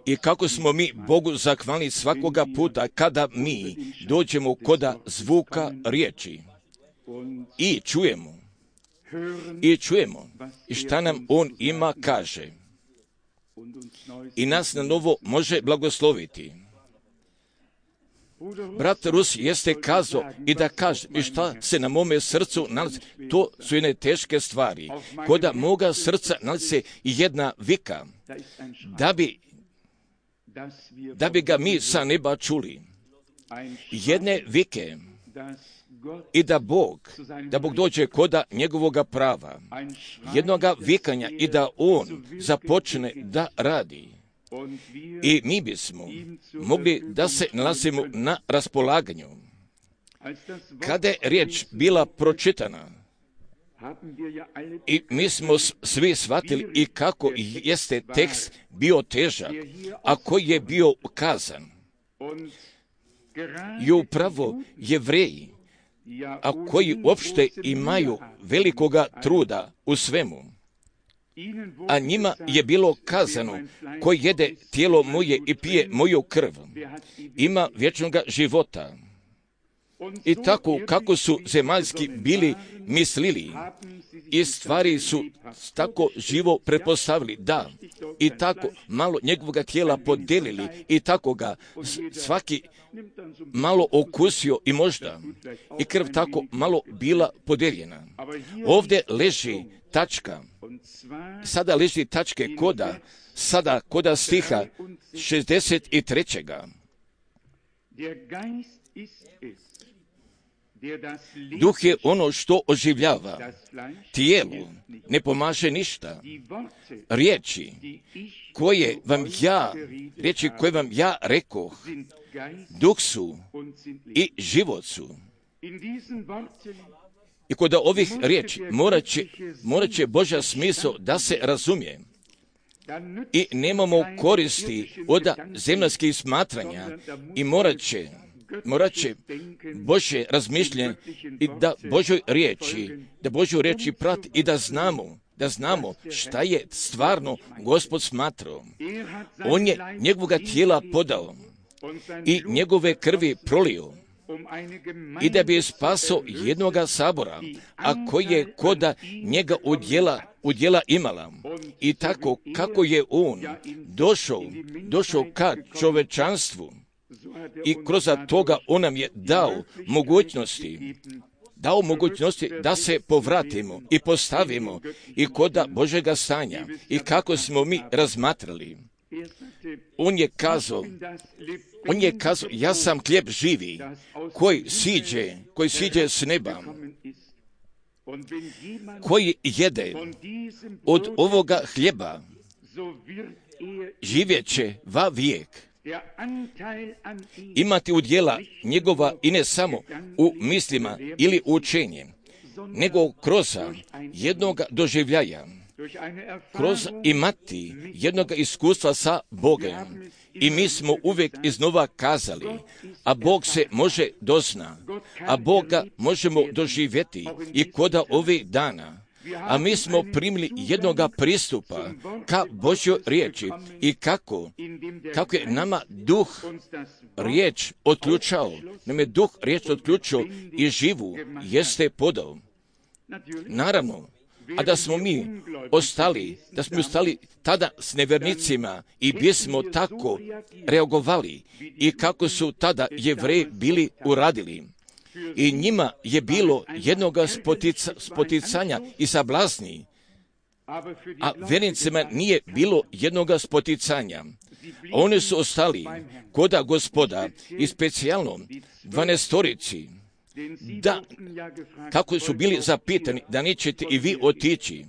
I kako smo mi Bogu zahvalni svakoga puta kada mi dođemo koda zvuka riječi i čujemo i šta nam On ima kaže i nas na novo može blagosloviti. Brat Rus jeste kazao i da kaže i šta se na mome srcu nalazi. To su jedne teške stvari. Koda moga srca nalazi se i jedna vika da bi ga mi sa neba čuli. Jedne vike i da Bog dođe koda njegovoga prava. Jednoga vikanja i da On započne da radi. I mi bismo mogli da se nalazimo na raspolaganju. Kada je riječ bila pročitana, i mi smo svi shvatili i kako jeste tekst bio težak, a koji je bio kazan. I upravo Jevreji, a koji uopšte imaju velikoga truda u svemu, a njima je bilo kazano, ko jede tijelo moje i pije moju krv, ima vječnoga života. I tako kako su zemaljski bili mislili i stvari su tako živo pretpostavili, da, i tako malo njegovoga tijela podelili i tako ga svaki malo okusio i možda i krv tako malo bila podeljena. Ovdje leži tačka, sada leži tačke koda stiha 63. Duh je ono što oživljava, tijelu ne pomaže ništa. Riječi koje vam ja rekoh, duh su i život su. I kod ovih riječi morat će Božja smisao da se razumije. I nemamo koristi od zemaljskih smatranja i morat će Božje razmišljanje i da Božju riječi prati i da znamo šta je stvarno Gospod smatrao. On je njegovoga tijela podao i njegove krvi prolio i da bi spasao jednoga sabora, a koji je koda njega udjela imala. I tako kako je on došao ka čovečanstvu i kroz toga on nam je dao mogućnosti da se povratimo i postavimo i koda Božega stanja i kako smo mi razmatrali. On je kazao, ja sam hljeb živi koji siđe s neba, koji jede od ovoga hljeba, živjet će va vijek. Imati udjela njegova i ne samo u mislima ili učenje, nego kroz jednog doživljaja, kroz imati jednog iskustva sa Bogom. I mi smo uvijek iznova kazali, a Bog se može dozna, a Boga možemo doživjeti i koda ovih dana. A mi smo primili jednoga pristupa ka Božjoj riječi i kako je nama duh riječ otključao, i živu jeste podao. Naravno, a da smo mi ostali tada s nevjernicima i bismo tako reagovali i kako su tada Jevreji bili uradili. I njima je bilo jednoga spoticanja i sablazni, a vjernicima nije bilo jednoga spoticanja. Oni su ostali koda Gospoda i specijalno 12-torici, kako su bili zapitani da nećete i vi otići.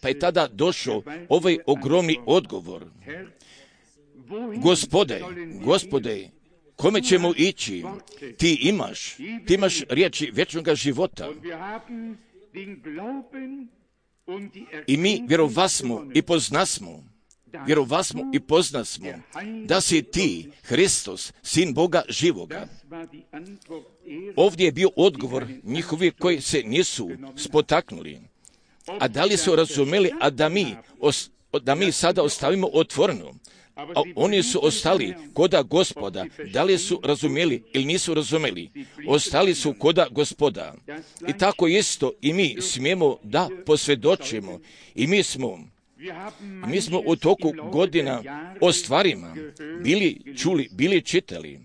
Pa je tada došao ovaj ogromni odgovor. Gospode, kome ćemo ići? Ti imaš riječi vječnoga života. I mi vjerovasmo i poznasmo da si ti, Hristos, sin Boga živoga. Ovdje je bio odgovor njihovi koji se nisu spotaknuli. A da li su razumeli, a da mi da mi sada ostavimo otvoreno. A oni su ostali koda Gospoda. Da li su razumjeli ili nisu razumjeli? Ostali su koda Gospoda. I tako isto i mi smijemo da posvjedočimo. I mi smo u toku godina o stvarima bili čuli, bili čitali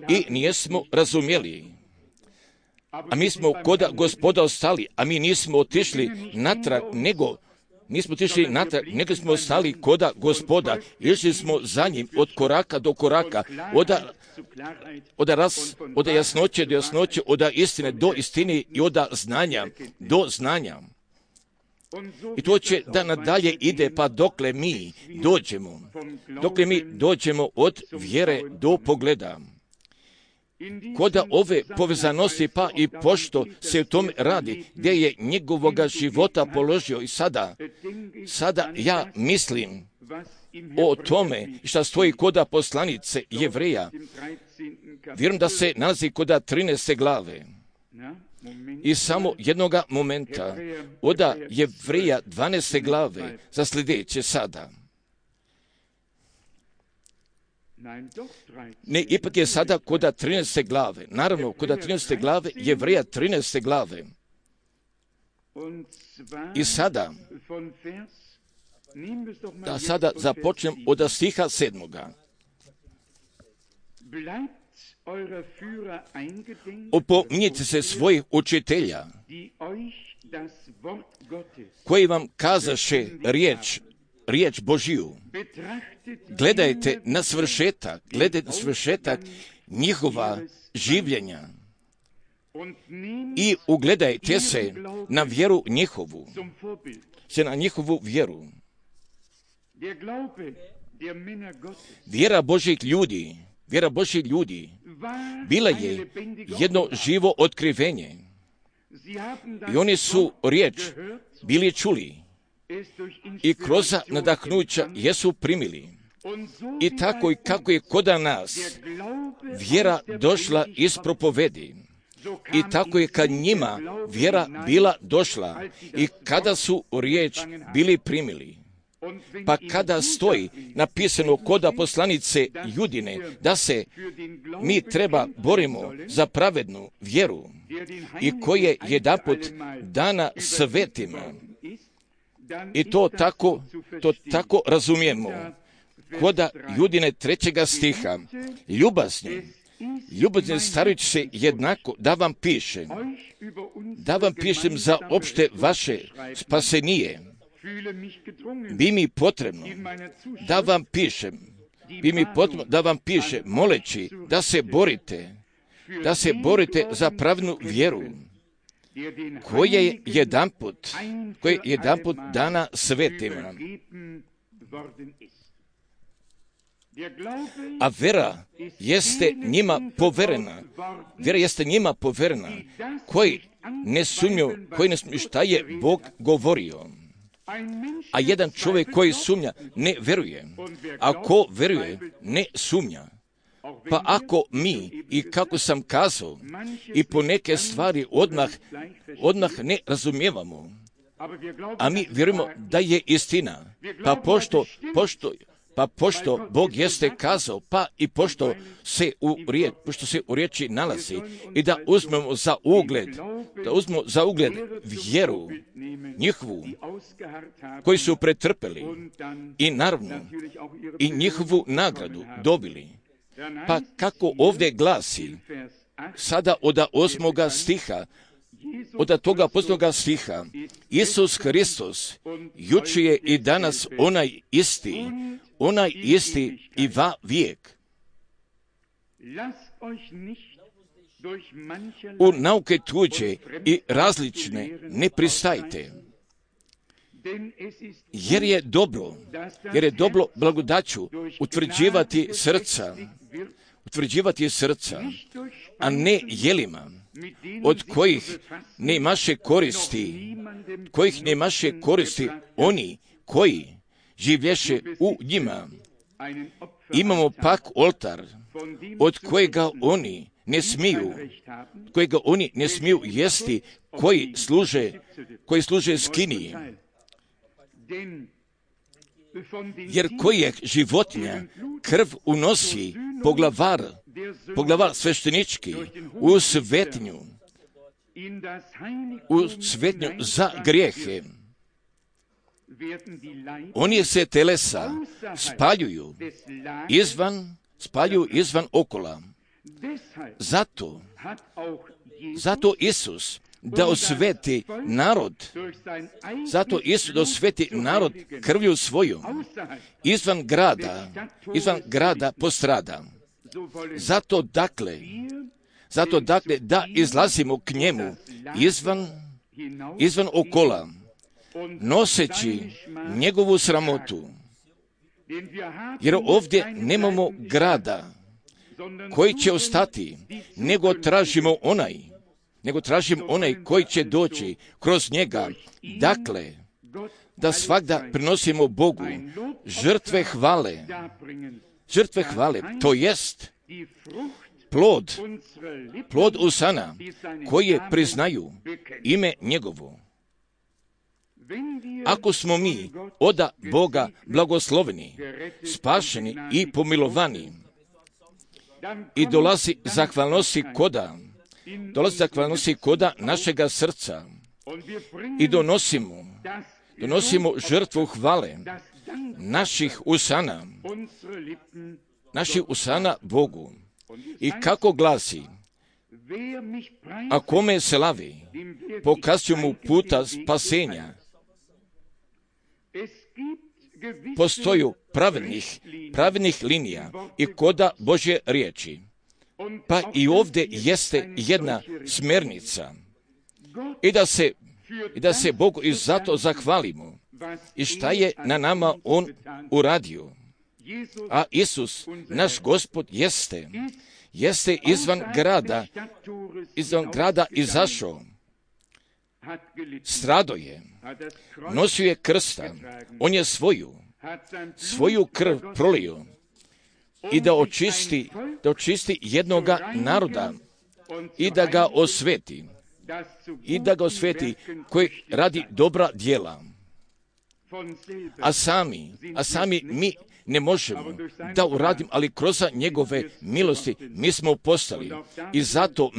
i nijesmo razumjeli. A mi smo koda Gospoda ostali, a mi nismo otišli natrag, nego smo ostali koda Gospoda. Išli smo za njim od koraka do koraka, od jasnoće do jasnoće, od istine do istine i od znanja do znanja. I to će da nadalje ide, pa dokle mi dođemo od vjere do pogleda. Koda ove povezanosti, pa i pošto se u tome radi, gdje je njegovoga života položio i sada ja mislim o tome šta stoji koda poslanice Jevreja. Vjerujem da se nalazi koda 13. glave. I samo jednoga momenta od Jevreja 12. glave za sljedeće sada. Ne, ipak je sada koda 13. glave. Naravno, koda 13. glave, Jevreja 13. glave. I sada, da sada započnem od stiha 7. Opominjite se svojih učitelja, koji vam kazaše riječ Božiju. Gledajte na svršetak njihova življenja i ugledajte se na vjeru njihovu, na njihovu vjeru. Vjera Božjih ljudi bila je jedno živo otkrivenje. I oni su riječ bili čuli i kroz nadahnuća jesu primili. I tako i kako je koda nas vjera došla iz propovedi, i tako je kad njima vjera bila došla i kada su riječ bili primili. Pa kada stoji napisano koda poslanice Judine da se mi treba borimo za pravednu vjeru i koje jedanput dana svetima, i to tako razumijemo koda Judine 3. stiha. Ljubazni starajući se jednako da vam pišem za opšte vaše spasenije. Bi mi potrebno da vam pišem, moleći da se borite za pravednu vjeru, koja je jedanput dana svetima. A vjera jeste njima poverena, koji ne sumnju šta je Bog govorio. A jedan čovjek koji sumnja ne veruje. A ko veruje ne sumnja. Pa ako mi, i kako sam kazao, i po neke stvari odmah ne razumijevamo, a mi vjerujemo da je istina, pa pošto Bog jeste kazao, pa i pošto se u riječi nalazi, i da uzmemo za ugled vjeru njihovu koji su pretrpeli i naravno i njihovu nagradu dobili. Pa kako ovdje glasi, sada od 8. stiha, od toga posljednjega stiha, Isus Hristos juče je i danas onaj isti i va vijek. U nauke tuđe i različne ne pristajte, jer je dobro blagodaću utvrđivati srca, a ne jelima, od kojih nemaše koristi oni koji življeše u njima. Imamo pak oltar, od kojega oni ne smiju jesti, koji služe skiniji. jer kojeg životinja krv unosi poglavar sveštenički u svetinju za grijehe. Oni se telesa spaljuju izvan okola. Zato Isus da osveti narod krvlju svojom izvan grada postrada. Zato dakle da izlazimo k njemu izvan okola, noseći njegovu sramotu. Jer ovdje nemamo grada koji će ostati, nego tražimo onaj koji će doći kroz njega. Dakle, da svagda prinosimo Bogu žrtve hvale, to jest plod usana koje priznaju ime njegovo. Ako smo mi oda Boga blagosloveni, spašeni i pomilovani, i dolazi zahvalnosti koda našega srca i donosimo žrtvu hvale naših usana Bogu. I kako glasi, a kome se lavi, pokazuju mu puta spasenja. Postoju pravednih linija i koda Božje riječi. Pa i ovdje jeste jedna smjernica. I da se Bogu i zato zahvalimo. I šta je na nama On uradio? A Isus, naš Gospod, jeste izvan grada izašao. Strado je, nosio je krsta, on je svoju krv prolio i da očisti jednoga naroda i da ga osveti, koji radi dobra djela. A sami mi ne možemo da uradimo, ali kroz njegove milosti mi smo postali. I zato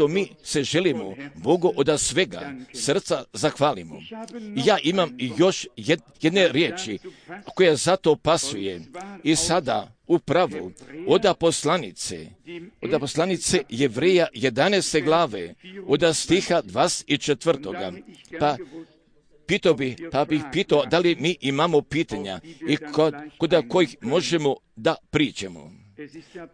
mi se želimo Bogu od svega srca zahvalimo. Ja imam još jedne riječi koja zato pasuje i sada upravo od poslanice Jevreja 11. glave, od stiha 24. Pa bih pitao da li mi imamo pitanja i kod kojih možemo da pričamo.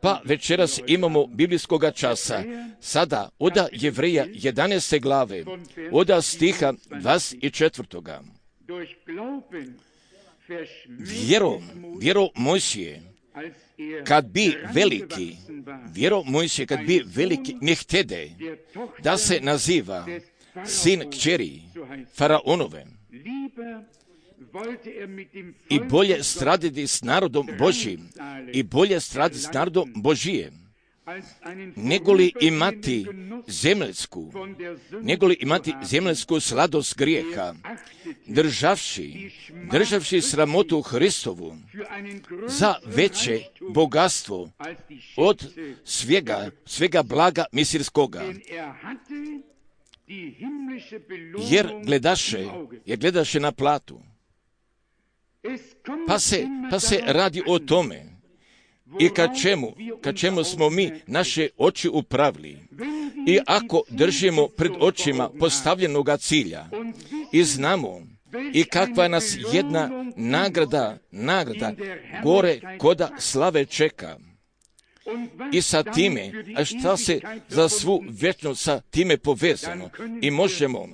Pa večeras imamo biblijskoga časa, sada od Jevreja 11. glave, od stiha 24. Vjero Mojsije, kad bi veliki ne htede da se naziva sin kćeri Faraonove i bolje straditi s narodom Božijem, negoli imati zemaljsku sladost grijeha, državši sramotu Hristovu za veće bogatstvo od svega blaga misirskoga. Jer gledaše na platu. Pa se radi o tome i ka čemu smo mi naše oči upravili. I ako držimo pred očima postavljenoga cilja i znamo i kakva nas jedna nagrada gore koda slave čeka. I sa time, a šta se za svu vječnost sa time povezano, i možemo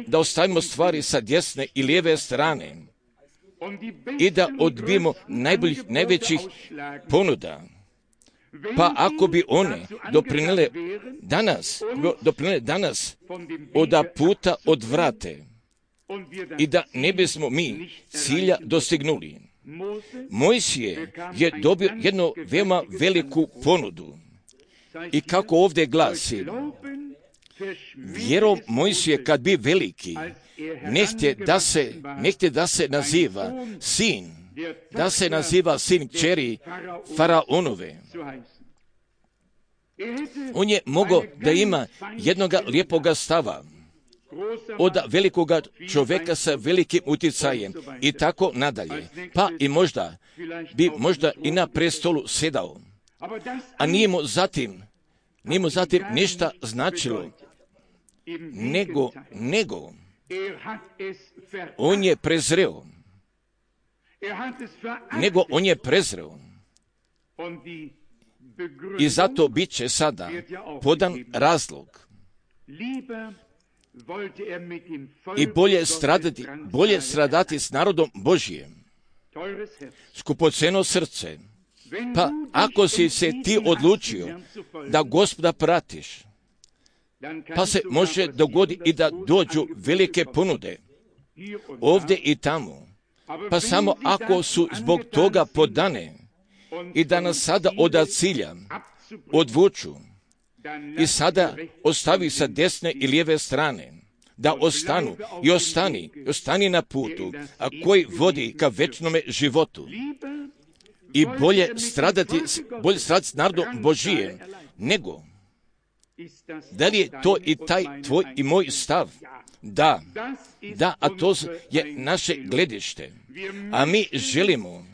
da ostavimo stvari sa desne i lijeve strane i da odbijemo najvećih ponuda. Pa ako bi one doprinele danas od puta odvrate i da ne bismo mi cilja dostignuli. Mojsije je dobio jednu veoma veliku ponudu. I kako ovdje glasi, vjerom Mojsije kad bi veliki, nehtje da se naziva sin, da se naziva sin kćeri Faraonove. On je mogao da ima jednoga lijepoga stava od velikoga čovjeka sa velikim utjecajem i tako nadalje. Pa i možda i na prestolu sedao. A nije mu zatim ništa značilo, nego on je prezreo. I zato bit će sada podan razlog. I bolje stradati s narodom Božijem. Skupoceno srce. Pa ako si se ti odlučio da Gospoda pratiš, pa se može dogoditi i da dođu velike ponude ovdje i tamo. Pa samo ako su zbog toga podane i da nas sada od cilja odvuču i sada ostavi sa desne i lijeve strane, da ostanu i ostani na putu, a koji vodi ka večnome životu. I bolje stradati s narodom Božijem, nego da li je to i taj tvoj i moj stav? Da, a to je naše gledište. A mi želimo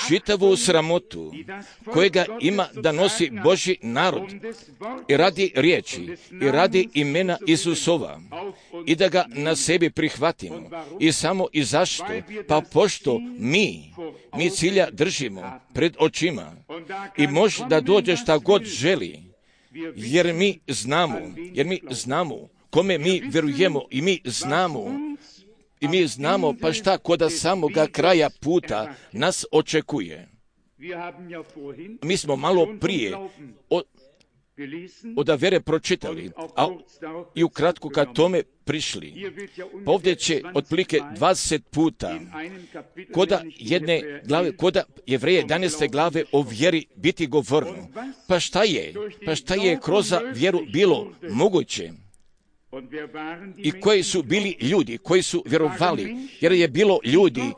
čitavu sramotu kojega ima da nosi Božji narod i radi riječi i radi imena Isusova i da ga na sebi prihvatimo. I samo i zašto? Pa pošto mi cilja držimo pred očima i može da dođe šta god želi, jer mi znamo kome mi vjerujemo i mi znamo pa šta koda samoga kraja puta nas očekuje. Mi smo malo prije od vere pročitali, a i ukratko ka tome prišli. Pa ovdje će otprilike 20 puta koda jedne glave, koda Jevreje 11. glave o vjeri biti govorno. Pa šta je kroz vjeru bilo moguće? I koji su bili ljudi, koji su vjerovali, jer je bilo ljudi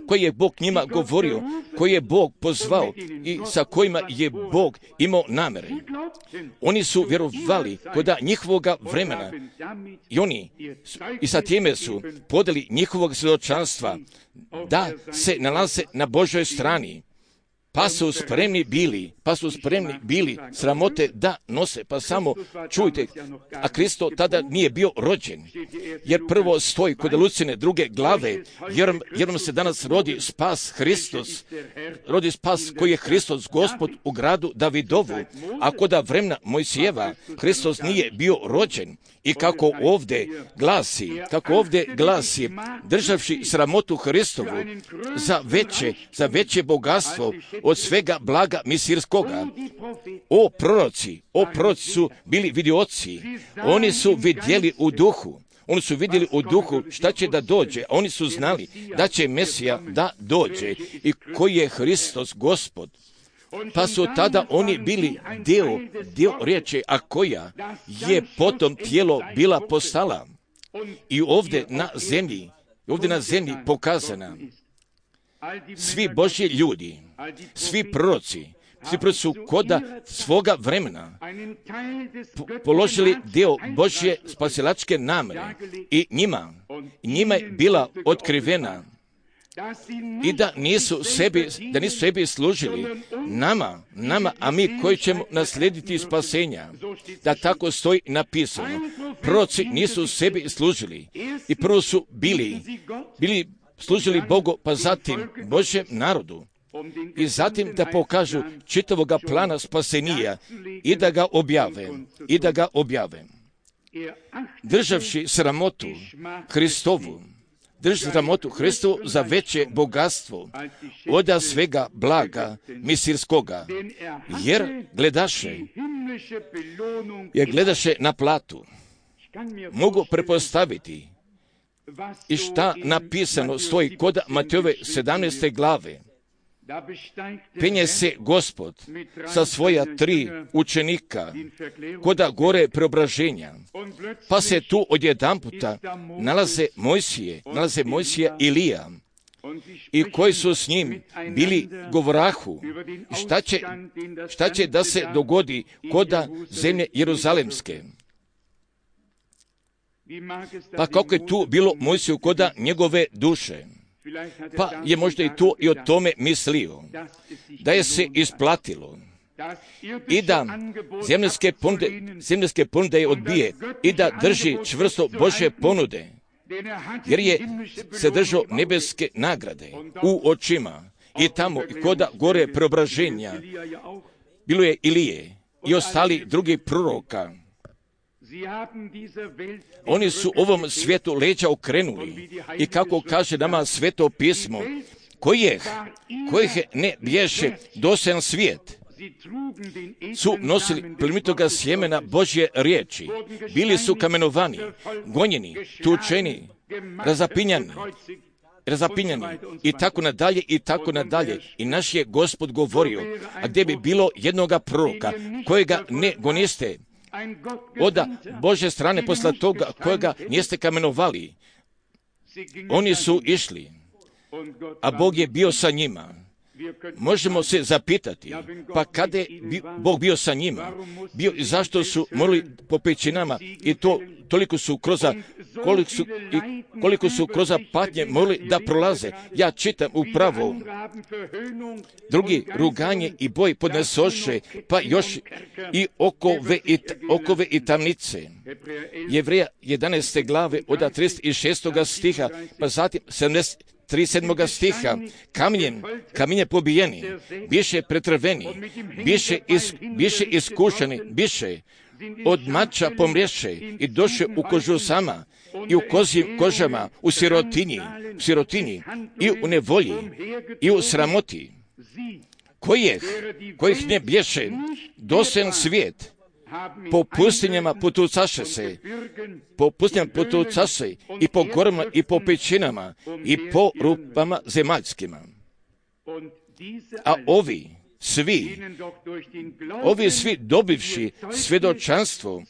koji je Bog njima govorio, koji je Bog pozvao i sa kojima je Bog imao namere. Oni su vjerovali kod njihovoga vremena i sa time su podali njihovog svjedočanstva da se nalaze na Božoj strani. Pa su spremni bili sramote da nose. Pa samo čujte, a Kristo tada nije bio rođen, jer prvo stoji kod Lucine 2. glave, jer nam se danas rodi spas Hristos, rodi spas koji je Hristos Gospod u gradu Davidovu, a kod vremena Mojsijeva Hristos nije bio rođen. I kako ovdje glasi, državši sramotu Hristovu za veće bogatstvo od svega blaga misirskoga. O proroci su bili vidioci, oni su vidjeli u duhu šta će da dođe, a oni su znali da će Mesija da dođe i koji je Hristos Gospod. Pa su tada oni bili dio riječi, a koja je potom tijelo bila postala i ovdje na zemlji pokazana. Svi Božji ljudi, svi proroci su koda svoga vremena položili dio Božje spasilačke namere i njima je bila otkrivena i da nisu sebi služili nama, a mi koji ćemo naslijediti spasenja. Da tako stoji napisano. Proroci nisu sebi služili i prvo su bili služili Bogu, pa zatim Božjem narodu. I zatim da pokažu čitavoga plana spasenija i da ga objave. Državši sramotu Hristovu za veće bogatstvo od svega blaga misirskoga, jer gledaše na platu. Mogu prepostaviti i šta napisano stoji kod Matejove 17. glave, penje se Gospod sa svoja 3 učenika koda gore preobraženja, pa se tu odjedanputa nalaze Mojsije i Ilija, i koji su s njim bili govorahu, šta će da se dogodi koda zemlje Jeruzalemske. Pa kako je tu bilo Mojsiju koda njegove duše? Pa je možda i tu i o tome mislio, da je se isplatilo i da zemljanske ponude je odbije i da drži čvrsto Božje ponude, jer je se držao nebeske nagrade u očima. I tamo i koda gore preobraženja bilo je Ilije i ostali drugi proroka. Oni su ovom svijetu leđa okrenuli i kako kaže nama Sveto pismo, kojih ne bješe dosajan svijet, su nosili plemenitoga sjemena Božje riječi, bili su kamenovani, gonjeni, tučeni, razapinjani i tako nadalje. I naš je Gospod govorio, a gdje bi bilo jednoga proroka kojega ne goniste od Božje strane posle toga kojega niste kamenovali, oni su išli, a Bog je bio sa njima. Možemo se zapitati, pa kada je Bog bio sa njima, zašto su morali po pećinama i to koliko su kroz patnje morali da prolaze. Ja čitam upravo, drugi ruganje i boj podnesoše, pa još i okove i tamnice. Jevreja 11. glave od 36. stiha, pa zatim 37. stiha, kamenje pobijeni, biše pretrveni, biše iskušeni, biše od mača pomrješe i doše u kožusama i u kozjim kožama, u sirotinji i u nevolji i u sramoti, kojih ne bješe dosajan svijet, po pustinjama putucaše se i po gorama i po pećinama i po rupama zemaljskima. A ovi svi dobivši svjedočanstvo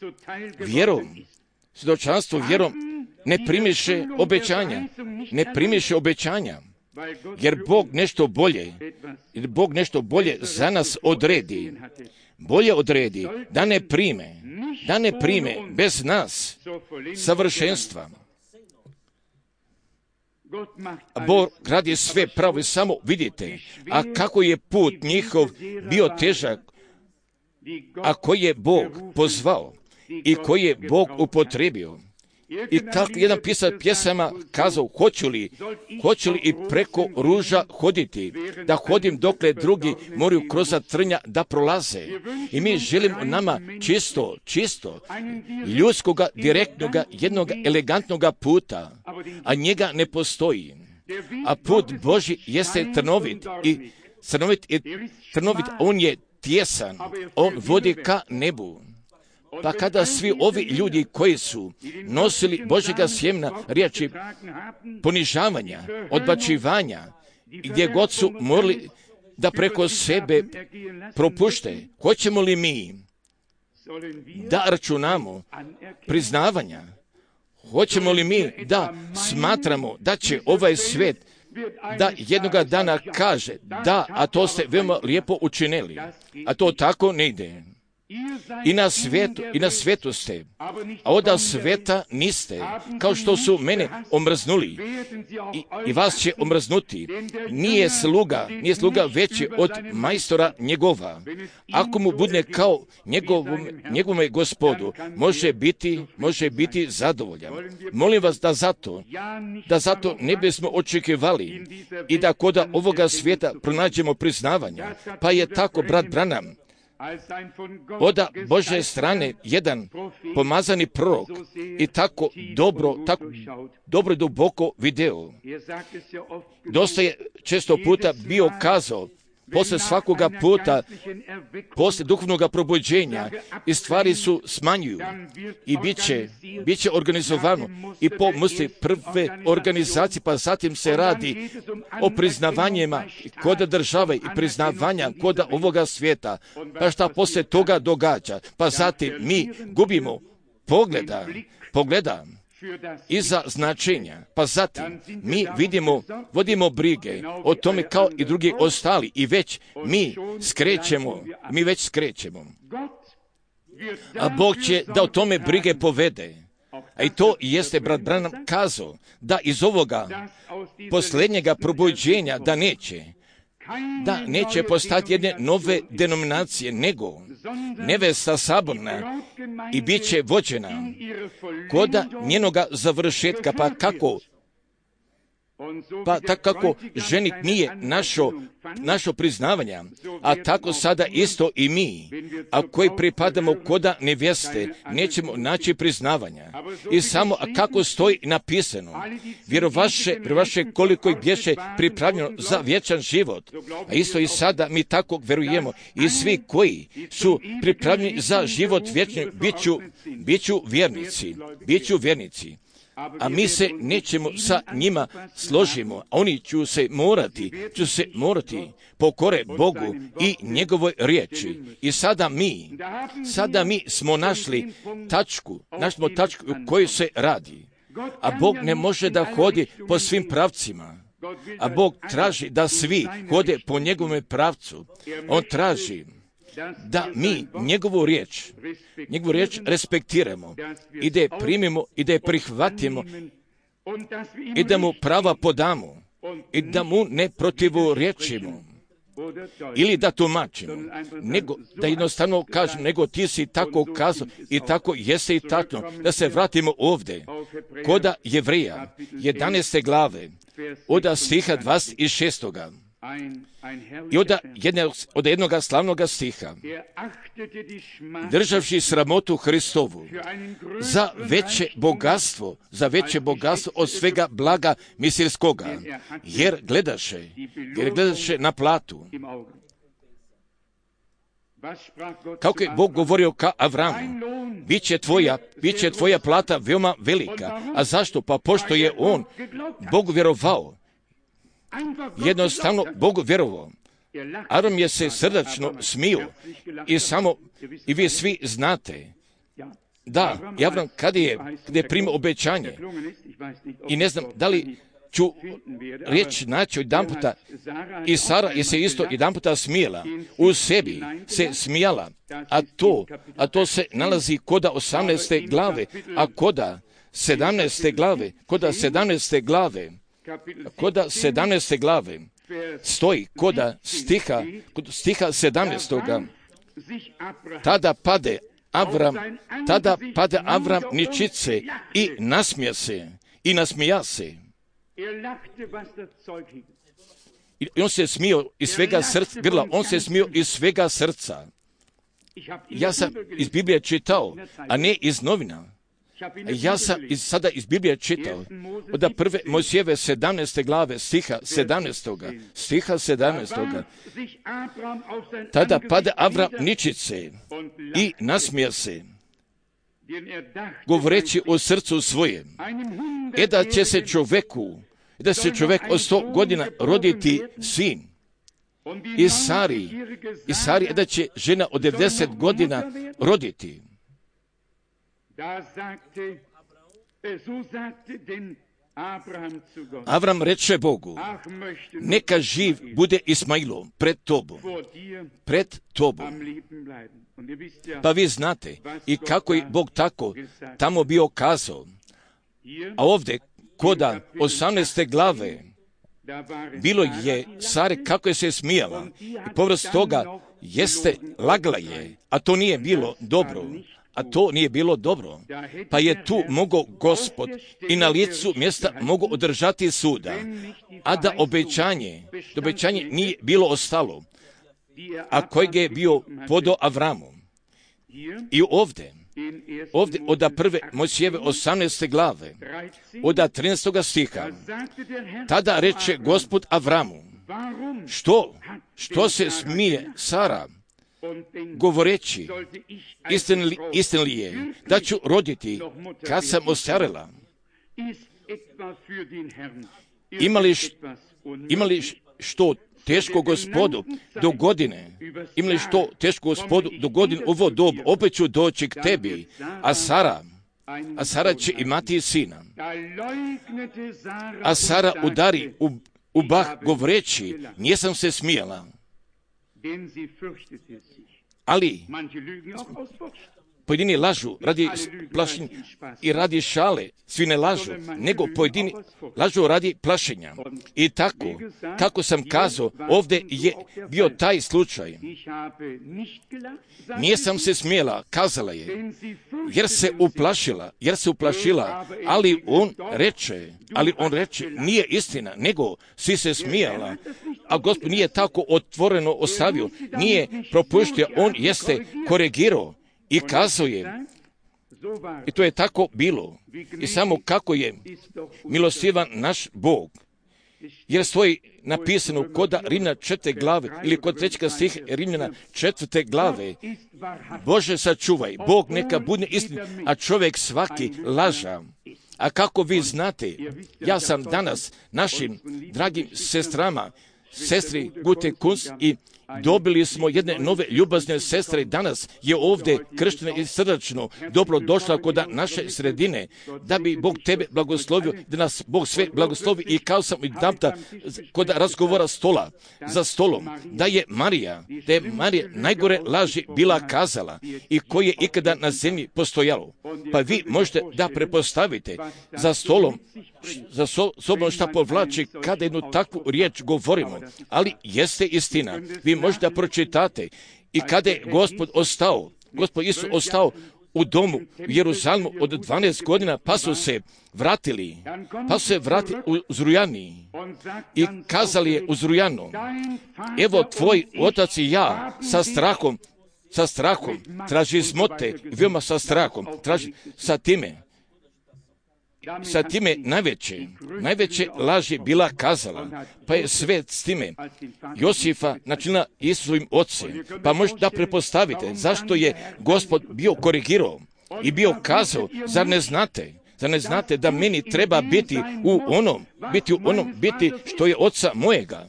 ne primiše obećanja, jer Bog nešto bolje za nas odredi. Bolje odredi da ne prime bez nas savršenstva. Bog radi sve pravo, samo vidite, a kako je put njihov bio težak, a koji je Bog pozvao i koji je Bog upotrebio. I kako jedan pisac pjesama kazao, hoću li i preko ruža hoditi, da hodim dokle drugi moraju kroz trnja da prolaze. I mi želimo nama čisto, ljudskoga, direktnoga, jednog elegantnoga puta, a njega ne postoji. A put Božji jeste trnovit, on je tjesan, on vodi ka nebu. Pa kada svi ovi ljudi koji su nosili Božjega sjemena riječi ponižavanja, odbačivanja, gdje god su morali da preko sebe propušte, hoćemo li mi da računamo priznavanja? Hoćemo li mi da smatramo da će ovaj svijet da jednoga dana kaže da, a to ste veoma lijepo učinili, a to tako ne ide. I na svijetu ste, a od svijeta niste, kao što su mene omrznuli i vas će omrznuti. Nije sluga veći od majstora njegova. Ako mu bude kao njegovome gospodu, može biti zadovoljan. Molim vas da zato ne bismo očekivali i da kod ovoga svijeta pronađemo priznavanja. Pa je tako brat Branham od Božje strane jedan pomazani prorok i tako dobro duboko video. Dosta je često puta bio kazao, Poslije svakoga puta, poslije duhovnog probuđenja, i stvari su smanjuju i bit će organizovano i po misli prve organizacije, pa zatim se radi o priznavanjima koda države i priznavanja koda ovoga svijeta. Pa šta poslije toga događa? Pa zatim mi gubimo pogleda iza značenja, pa zatim mi vodimo brige o tome kao i drugi ostali i već mi skrećemo. A Bog će da o tome brige povede. A i to jeste brat Branham kazao, da iz ovoga posljednjega probuđenja da neće postati jedne nove denominacije, nego nevesta saborna i bit će vođena koda njenoga završetka, pa tako kako ženik nije našo priznavanja, a tako sada isto i mi, a koji pripadamo koda nevjeste, nećemo naći priznavanja. I samo kako stoji napisano, vjerovaše koliko ih bješe pripravljeno za vječan život, a isto i sada mi tako vjerujemo, i svi koji su pripravljeni za život vječni bit ću vjernici. A mi se nećemo sa njima složimo, a oni će se morati pokore Bogu i njegovoj riječi. I sada mi smo našli tačku u kojoj se radi. A Bog ne može da hodi po svim pravcima. A Bog traži da svi hode po njegovom pravcu. On traži da mi njegovu riječ respektiramo i da je primimo i da je prihvatimo i da mu prava podamo i da mu ne protivorječimo ili da tumačimo, nego da jednostavno kažem, nego ti si tako kazao i tako jeste i tako. Da se vratimo ovdje koda Jevreja 11. glave od stiha 26. I od jednog slavnog stiha, državši sramotu Hristovu za veće bogatstvo od svega blaga misilskoga, jer gledaše na platu. Kako je Bog govorio ka Avramu, bit će tvoja plata veoma velika. A zašto? Pa pošto je on Bogu vjerovao. Jednostavno Bogu vjerovao. Avram je se srdačno smio i vi svi znate da Avram kad je primio obećanje, i ne znam da li ću riječ naći jedan puta, i Sara je se isto jedan puta smijela, u sebi se smijala, a to se nalazi koda 18. glave, a koda 17. glave stoji koda stiha 17. Tada pade Avram ničice i nasmija se. I on se smio iz svega srca. Ja sam iz Biblije čitao, a ne iz novina. Ja sam sada iz Biblije čitao od prve Mojsijeve 17. glave stiha 17. Tada pade Avram ničice i nasmija se, govoreći o srcu svojem, da će se čovjek od 100 godina roditi sin. I Sari da će žena od 90 godina roditi. Avram reče Bogu, neka živ bude Ismailom pred tobom. Pa vi znate i kako je Bog tako tamo bio kazao. A ovdje koda 18. glave bilo je Sare kako je se smijala i povrst toga jeste lagla je, a to nije bilo dobro. Pa je tu mogao Gospod i na licu mjesta mogao održati suda, a da obećanje nije bilo ostalo, a kojeg je bio podao Avramu. I ovdje od prve Mojsijeve 18. glave, od 13. stiha, tada reče Gospod Avramu, što se smije Sara, govoreći, istina li je da ću roditi kad sam ostarela? Ima li što teško Gospodu do godine? Ima li što teško Gospodu do godine ovo dobu? Opet ću doći k tebi, a Sara će imati sina. A Sara udari u bah govoreći, nisam se smijala. Ali pojedini lažu radi plašenja i radi šale, svi ne lažu, nego pojedini lažu radi plašenja. I tako, kako sam kazao, ovdje je bio taj slučaj. Nisam se smjela, kazala je, jer se uplašila, ali on reče, nije istina, nego si se smijala. A Gospod nije tako otvoreno ostavio, nije propuštio, on jeste korigirao. I kazao je, i to je tako bilo, i samo kako je milostivan naš Bog, jer stoji napisano kod Rimljana 4. glave, ili kod 3. stiha Rimljana 4. glave, Bože sačuvaj, Bog neka bude istina, a čovjek svaki laža. A kako vi znate, ja sam danas našim dragim sestrama, sestri Gute Kunst, i dobili smo jedne nove ljubazne sestre. Danas je ovdje krštena i srdačno dobro došla kod naše sredine, da bi Bog tebe blagoslovio, da nas Bog sve blagoslovi. I kao sam i damta kod razgovora za stolom, da je Marija najgore laži bila kazala i koje je ikada na zemlji postojalo. Pa vi možete da prepostavite za stolom, za sobom šta povlači kada jednu takvu riječ govorimo, ali jeste istina. Vi možete da pročitate i kada je Gospod Isus ostao u domu u Jeruzalemu od 12 godina, pa su se vratili u Zrujani i kazali je u Zrujanu, evo tvoj otac i ja sa strahom traži smote, veoma sa strahom traži sa time najveće laži bila kazala, pa je sve s time Josifa načinila Isusovim ocem. Pa možete da prepostavite zašto je Gospod bio korigirao i bio kazao, zar ne znate da meni treba biti u onom što je oca mojega,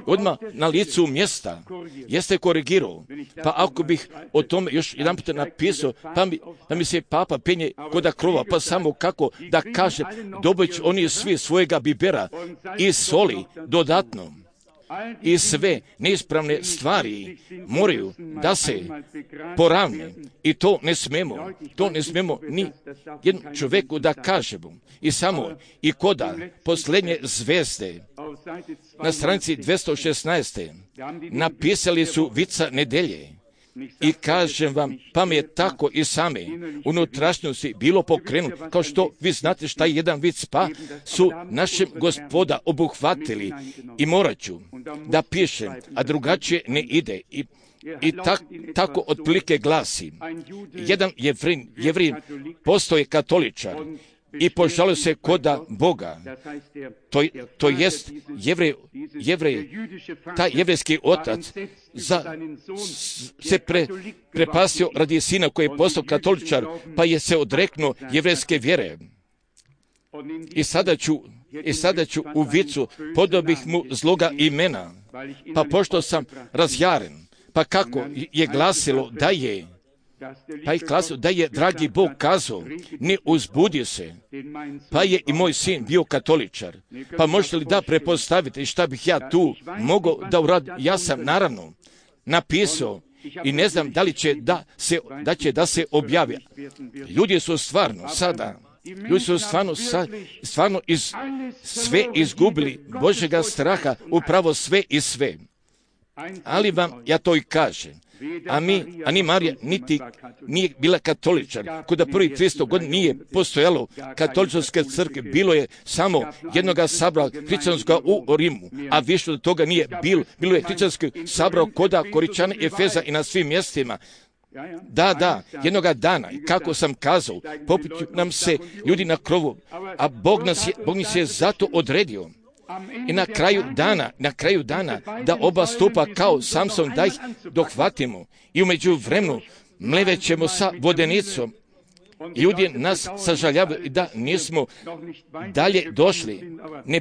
odmah na licu mjesta, jeste korigirao. Pa ako bih o tome još jedan puta napisao, pa mi se papa penje kod krova, pa samo kako da kaže, dobit će oni svi svojega bibera i soli dodatno. I sve neispravne stvari moraju da se poravne. I to ne smemo ni jednom čovjeku da kažemo. I samo i koda posljednje zvezde na stranici 216. napisali su vica nedelje. I kažem vam, pa mi je tako i same unutrašnjosti bilo pokrenuto, kao što vi znate šta je jedan vic, pa su našem Gospoda obuhvatili i morat ću da pišem, a drugačije ne ide. I tako otprilike glasi, jedan Jevrin postoje katoličar i požalio se koda Boga, to jest Jevrej, taj jevrejski otac se prepasio radi sina koji je postao katoličar, pa je se odreknuo jevrejske vjere. I sada ću u vicu podobih mu zloga imena, pa pošto sam razjaren, pa kako je glasilo da je dragi Bog kazao, ne uzbudi se, pa je i moj sin bio katoličar. Pa možete li da prepostavite šta bih ja tu mogao da uradim? Ja sam naravno napisao i ne znam da li će da se objavi. Ljudi su stvarno sve izgubili Božjega straha, upravo sve i sve. Ali vam ja to i kažem. Ani Marija nije bila katoličar. Kuda prvih 300 godina nije postojalo katoličarske crkve, bilo je samo jednoga sabora hrišćanskoga u Rimu, a više od toga nije bilo je hrišćanski sabor koda Koričana i Efeza i na svim mjestima. Da, jednoga dana, kako sam kazao, poput nam se ljudi na krovu, a Bog nas je zato odredio. I na kraju dana, da oba stupa kao Samson, da ih dohvatimo. I umeđu vremenu mlevećemo sa vodenicom. Ljudi nas sažaljavaju da nismo dalje došli. Ne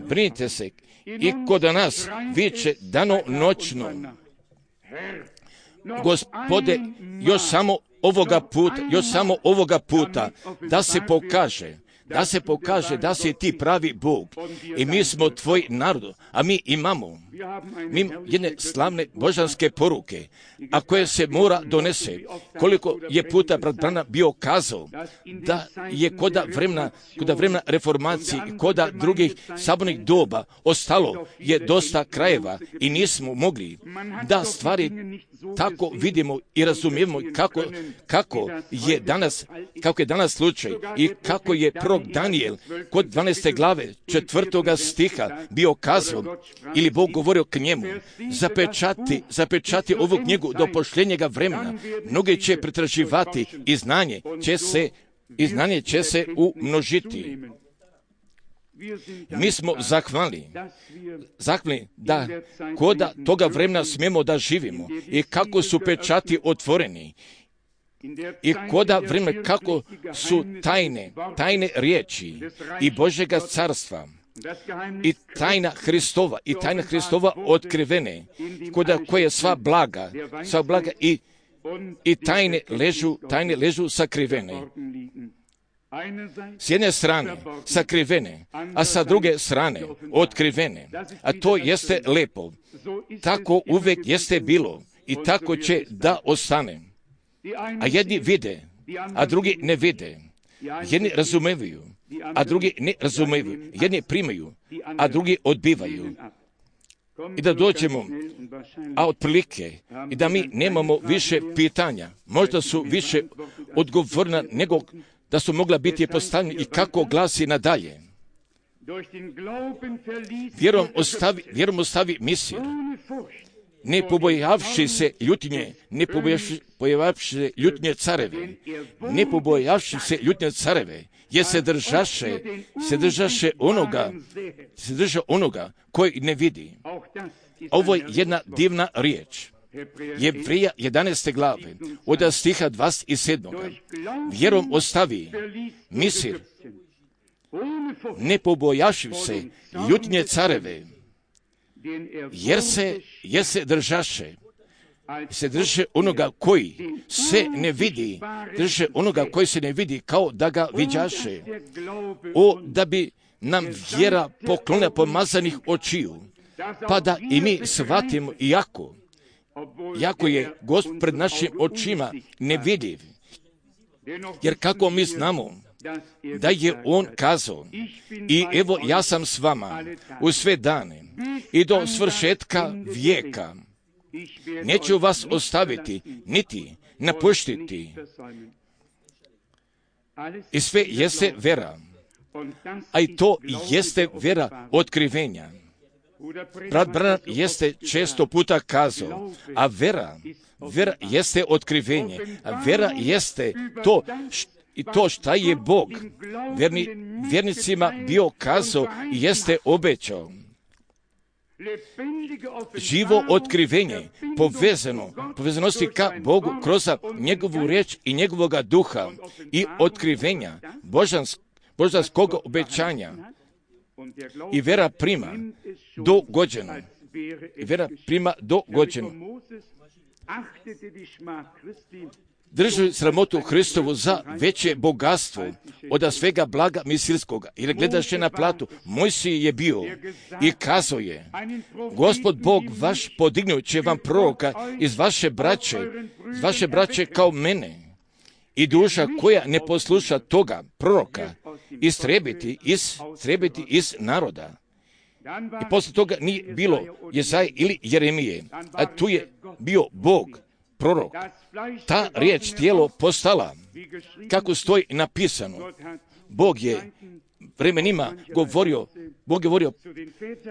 brinite se. I kod nas viče dano noćno: Gospode, još samo ovoga puta da se pokaže da si ti pravi Bog i mi smo tvoj narod, a mi imamo jedne slavne božanske poruke, a koje se mora donese. Koliko je puta brat Branham bio kazao da je koda vremena reformacije i koda drugih sabornih doba ostalo je dosta krajeva i nismo mogli da stvari tako vidimo i razumijemo kako je danas slučaj i kako je prorok Danijel kod 12. glave 4. stiha bio kazao ili Bog govorio k njemu: zapečati ovu knjigu do pošljenjega vremena. Mnogi će pretraživati i znanje će se umnožiti. Mi smo zahvalni da koda toga vremena smijemo da živimo i kako su pečati otvoreni i koda vremena kako su tajne riječi i Božjega carstva i tajna Hristova otkrivene, koda koje sva blaga i tajne ležu sakrivene. S jedne strane sakrivene, a sa druge strane otkrivene. A to jeste lepo. Tako uvek jeste bilo i tako će da ostane. A jedni vide, a drugi ne vide. Jedni razumevaju, a drugi ne razumevaju. Jedni primaju, a drugi odbivaju. I da dođemo, a otprilike, i da mi nemamo više pitanja. Možda su više odgovorna nego da su mogla biti postavljeni i kako glasi nadalje. Vjerom ostavi misir, ne pobojavši se ljutnje careve, jer se držaše onoga koji ne vidi. Ovo je jedna divna riječ. Jevrija 11. glave, od stiha 27. Vjerom ostavi misir, ne pobojavši se ljutnje careve, jer se drže onoga koji se ne vidi, drže onoga koji se ne vidi kao da ga viđaše. Da bi nam vjera poklona pomazanih očiju, pa da i mi shvatimo jako je Gospod pred našim očima nevidiv. Jer kako mi znamo da je On kazao: i evo ja sam s vama u sve dane i do svršetka vijeka. Neću vas ostaviti, niti napuštiti. I sve jeste vera, a i to jeste vera otkrivenja. Brat Branham jeste često puta kazao, a vera jeste otkrivenje, a vera jeste to šta je Bog vjernicima bio kazao i jeste obećao. Živo otkrivenje, povezanosti ka Bogu kroz njegovu riječ i njegovoga duha i otkrivenja božanskog obećanja. I vera prima dogođeno. Drži sramotu Hristovu za veće bogatstvo od svega blaga misilskoga. Jer gledaše na platu, Mojsije je bio i kazao je: Gospod Bog vaš podignut će vam proroka iz vaše braće kao mene. I duša koja ne posluša toga proroka istrebiti iz naroda. I posle toga nije bilo Jesaje ili Jeremije, a tu je bio Bog, prorok. Ta riječ tijelo postala, kako stoji napisano. Bog je vremenima govorio,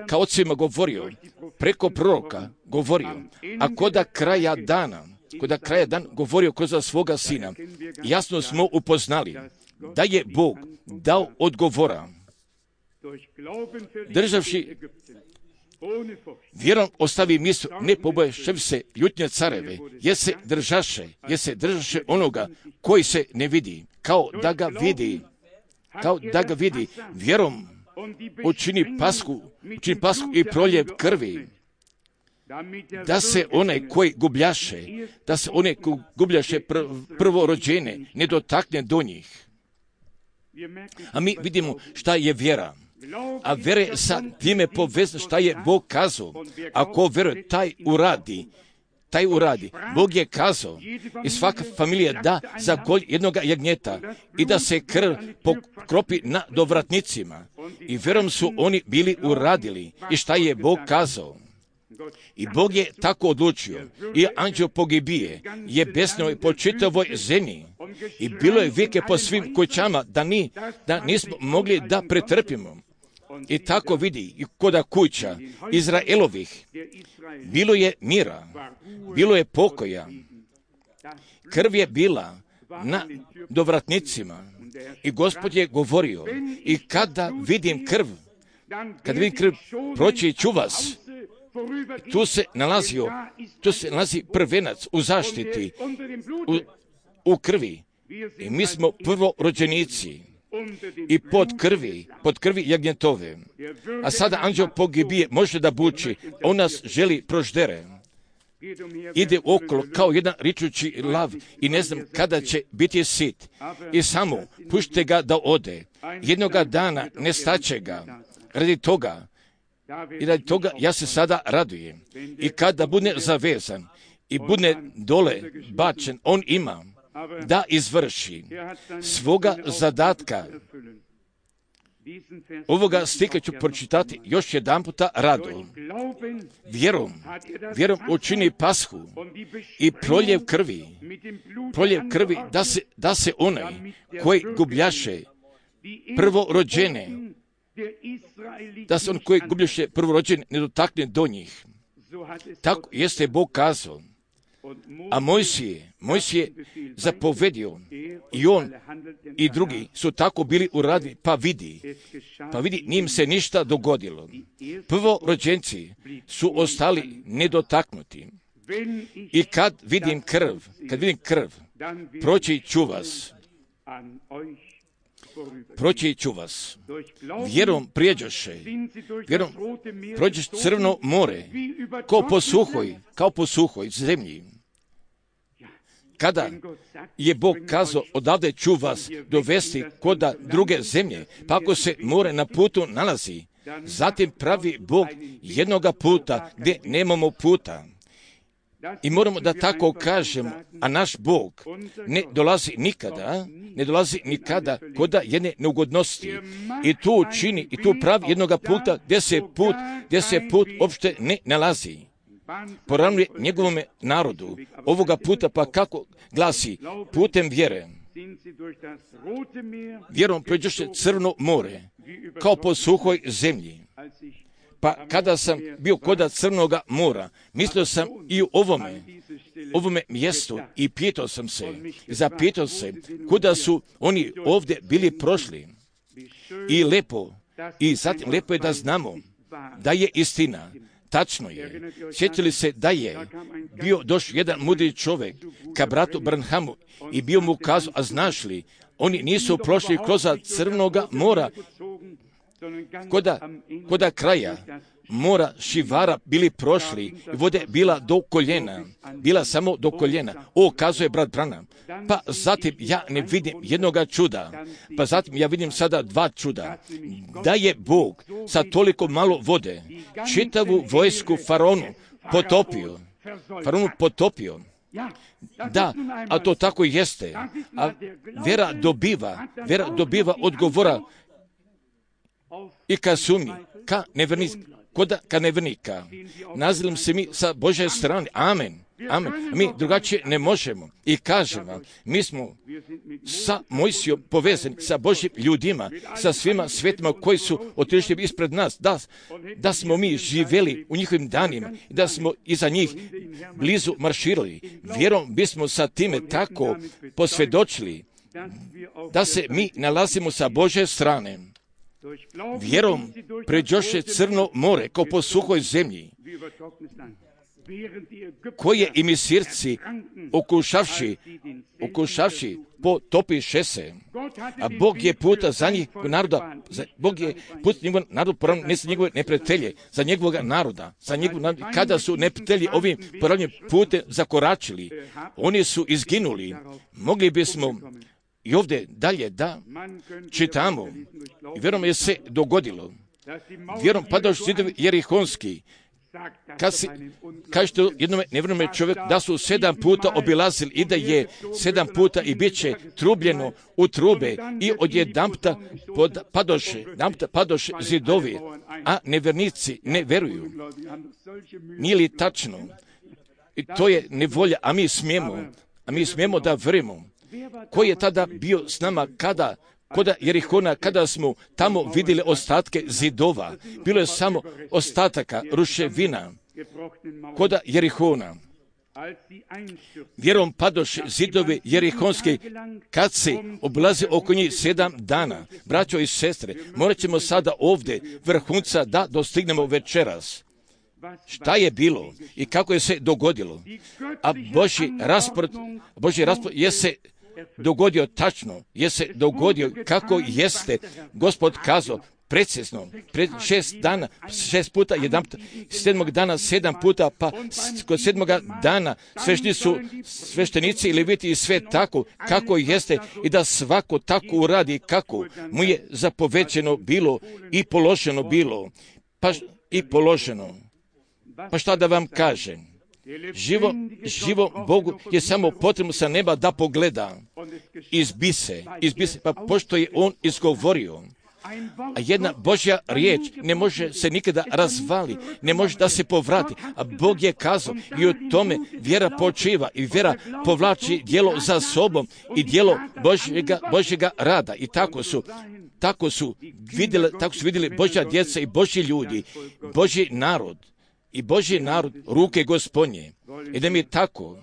kao ocima govorio, preko proroka govorio, a koda kraja dana govorio kroz svoga sina. Jasno smo upoznali da je Bog dao odgovora. državši vjerom ostavi Misr, ne pobojevši se ljutnje careve, jer se držaše onoga koji se ne vidi, kao da ga vidi, vjerom učini pasku i proljev krvi, da se onaj koji gubljaše prvorođene ne dotakne do njih. A mi vidimo šta je vjera. A vjere sa time povezano šta je Bog kazao. Ako vjeruje, taj uradi. Bog je kazao i svaka familija da za kolj jednoga jagnjeta i da se krv pokropi na dovratnicima. I vjerom su oni bili uradili i šta je Bog kazao. I Bog je tako odlučio. I anđeo pogibije je besnio po čitavoj zemlji. I bilo je vike po svim kućama da nismo mogli da pretrpimo. I tako vidi i koda kuća Izraelovih bilo je mira, bilo je pokoja. Krv je bila na dovratnicima i Gospod je govorio i kada vidim krv, proći ću vas. Tu se nalazi prvenac u zaštiti, u krvi. I mi smo prvorođenici i pod krvi jagnjetove. A sada anđeo pogibije može da buči, on nas želi proždere. Ide okolo kao jedan ričući lav i ne znam kada će biti sit. I samo pušte ga da ode. Jednoga dana nestaće ga. Radi toga ja se sada radujem. I kada bude zavezan i bude dole bačen, on ima da izvrši svoga zadatka. Ovoga stihka ću pročitati još jedan puta rado. Vjerom učini pashu i proljev krvi da se onaj koji gubljaše prvorođene, ne dotakne do njih. Tako jeste Bog kazao. A Mojsije zapovedio i on i drugi su tako bili uradili, pa vidi, njim se ništa dogodilo. Prvorođenci su ostali nedotaknuti. I kad vidim krv, proći ću vas. Vjerom prođeš Crveno more, kao po suhoj zemlji. Kada je Bog kazao, odavde ću vas dovesti koda druge zemlje, pa ako se more na putu nalazi, zatim pravi Bog jednoga puta gdje nemamo puta. I moramo da tako kažemo, a naš Bog ne dolazi nikada koda jedne neugodnosti. I tu čini, i tu pravi jednoga puta gdje se put uopšte ne nalazi. Poravnuje njegovome narodu. Ovoga puta pa kako glasi, putem vjere. Vjerom pređoše Crno more, kao po suhoj zemlji. Pa kada sam bio koda Crnoga mora, mislio sam i u ovome mjestu i zapitao se, kuda su oni ovdje bili prošli. I zatim lepo je da znamo da je istina. Tačno je. Sjetili se da je bio došao jedan mudri čovjek ka bratu Branhamu i bio mu kazao, a znaš li, oni nisu prošli kroz Crnoga mora, koda kraja mora Šivara bili prošli i vode bila do koljena, bila samo do koljena. Kazuje brat Branham. Pa zatim ja ne vidim jednoga čuda, pa zatim ja vidim sada dva čuda. Da je Bog sa toliko malo vode čitavu vojsku faraonu potopio. Da, a to tako jeste. A vera dobiva odgovora i ka sumi, ka nevernika. Nazilim se mi sa Božje strane. Amen. Mi drugačije ne možemo. I kažem vam, mi smo sa Mojsijom povezani, sa Božjim ljudima, sa svima svetima koji su otišli ispred nas, da smo mi živjeli u njihovim danima i da smo iza njih blizu marširali. Vjerom bismo sa time tako posvjedočili da se mi nalazimo sa Božje strane. Vjerom pređoše Crno more kao po suhoj zemlji, koje i Misirci okušavši potopiše se. A Bog je puta za njih naroda, Bog je put njegov narod poravno, ne za njegove neprijatelje, za njegovog naroda, kada su neprijatelji ovim poravnim putem zakoračili, oni su izginuli. Mogli bismo i ovdje dalje da čitamo, i vjerom je se dogodilo, vjerom padaš zidovi jerihonski, kažete jednome nevjernome čovjeku da su 7 puta obilazili i da je 7 puta i bit će trubljeno u trube i odjedanputa padoše zidovi, a nevjernici ne veruju. Nije li tačno? I to je nevolja, a mi smijemo da verujemo. Ko je tada bio s nama kod Jerihona, kada smo tamo vidjeli ostatke zidova? Bilo je samo ostataka, ruševina kod Jerihona. Vjerom padoše zidovi jerihonski kad se oblazi oko njih 7 dana. Braćo i sestre, morat ćemo sada ovdje vrhunca da dostignemo večeras. Šta je bilo i kako je se dogodilo? A Božji raspored je se dogodio tačno, je se dogodio kako jeste Gospod kazao, precizno, pred 6 dana, 6 puta, 7. dana 7 puta, pa kod 7. dana sveštenici i leviti i sve tako, kako jeste i da svako tako uradi kako mu je zapovećeno bilo i položeno bilo, pa šta da vam kažem? Živo Bogu je samo potrebno sa neba da pogleda, izbise, pa pošto je on izgovorio, a jedna Božja riječ ne može se nikada razvali, ne može da se povrati, a Bog je kazao i o tome vjera počiva i vjera povlači djelo za sobom i djelo Božjega rada i tako su vidjeli Božja djeca i Božji ljudi, Božji narod. I Božji narod ruke Gospodnje. I da mi tako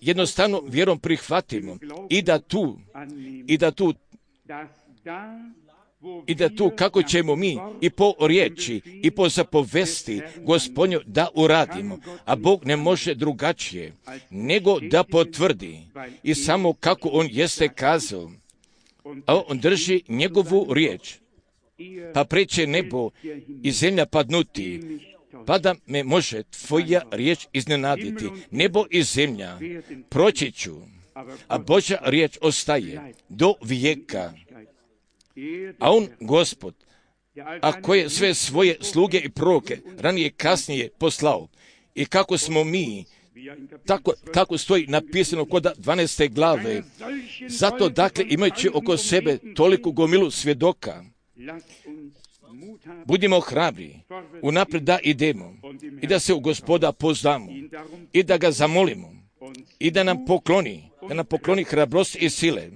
jednostavno vjerom prihvatimo i da tu kako ćemo mi i po riječi i po zapovesti Gospodnju da uradimo. A Bog ne može drugačije nego da potvrdi i samo kako on jeste kazao. A on drži njegovu riječ. Pa preće nebo i zemlja padnuti, pa da me može tvoja riječ iznenaditi. Nebo i zemlja proći ću, a Božja riječ ostaje do vijeka. A on, Gospod, a koje sve svoje sluge i proroke ranije kasnije poslao. I kako smo mi, tako stoji napisano kod 12. glave. Zato, dakle, imajući oko sebe toliku gomilu svjedoka, budimo hrabri, unaprijed da idemo i da se u Gospoda poznamo i da ga zamolimo i da nam pokloni hrabrost i sile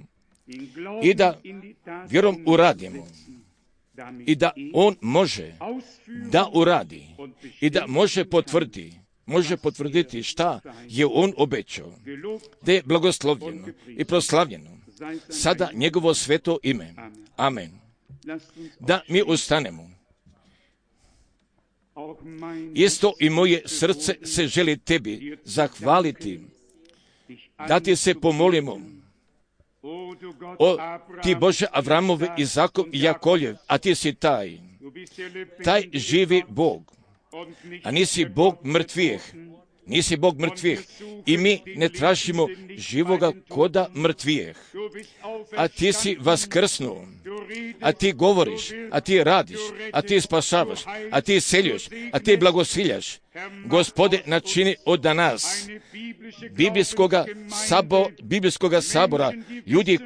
i da vjerom uradimo i da on može da uradi i da može potvrditi šta je on obećao, da je blagoslovljeno i proslavljeno sada njegovo sveto ime. Amen. Da mi ustanemo. Isto i moje srce se želi tebi zahvaliti, da ti se pomolimo. O ti Bože Avramove, Izakov i Jakoljev, a ti si taj živi Bog, a nisi Bog mrtvih, i mi ne tražimo živoga koda mrtvih, a ti si vaskrsnuo, a ti govoriš, a ti radiš, a ti spašavaš, a ti seljuš, a ti blagosiljaš. Gospode, načini od nas biblijskoga sabora ljudi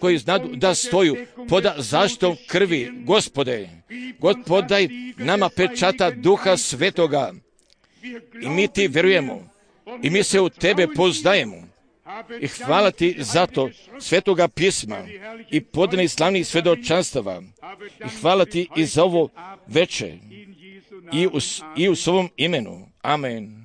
koji znadu da stoju pod zaštitom krvi. Gospode, podaj nama pečata Duha Svetoga i mi ti vjerujemo i mi se u tebe poznajemo. I hvala ti za to Svetoga pisma i podanih slavnih svjedočanstava. I hvala ti i za ovo veče i u svom imenu. Amen.